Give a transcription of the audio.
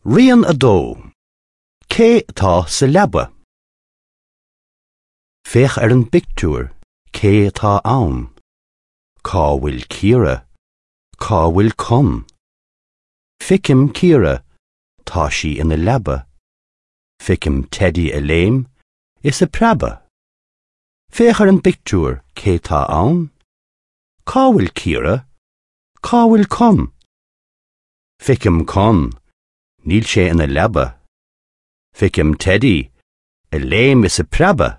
Rian 2. Cé atá sa leaba? Féach ar an bpictiúr, cé atá ann? Cá bhfuil Ciara? Cá bhfuil Con? Feicim Ciara, tá sí ina leaba. Feicim Teidí ag léim is ag preabadh. Féach ar an bpictiúr, cé tá ann? Cá bhfuil Ciara? Cá bhfuil Con? Feicim Con, níl sé ina leaba. Feicim Teidí, ag léim is ag preabadh.